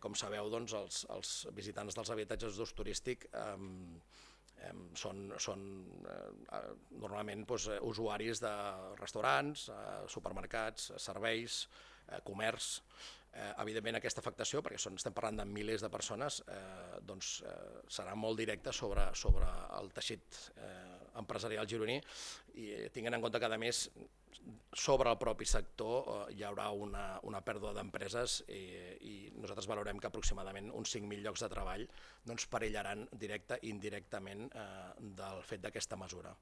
Com sabeu, doncs, els visitants dels habitatges d'ús turístic són normalment usuaris de restaurants, supermercats, serveis, comerç. Evidentment, aquesta afectació, perquè estem parlant de milers de persones, serà molt directa sobre el teixit empresarial gironí, i tinguent en compte que, a més, sobre el propi sector hi haurà una pèrdua d'empreses, i nosaltres valorem que aproximadament uns 5.000 llocs de treball perillaran directa i indirectament del fet d'aquesta mesura.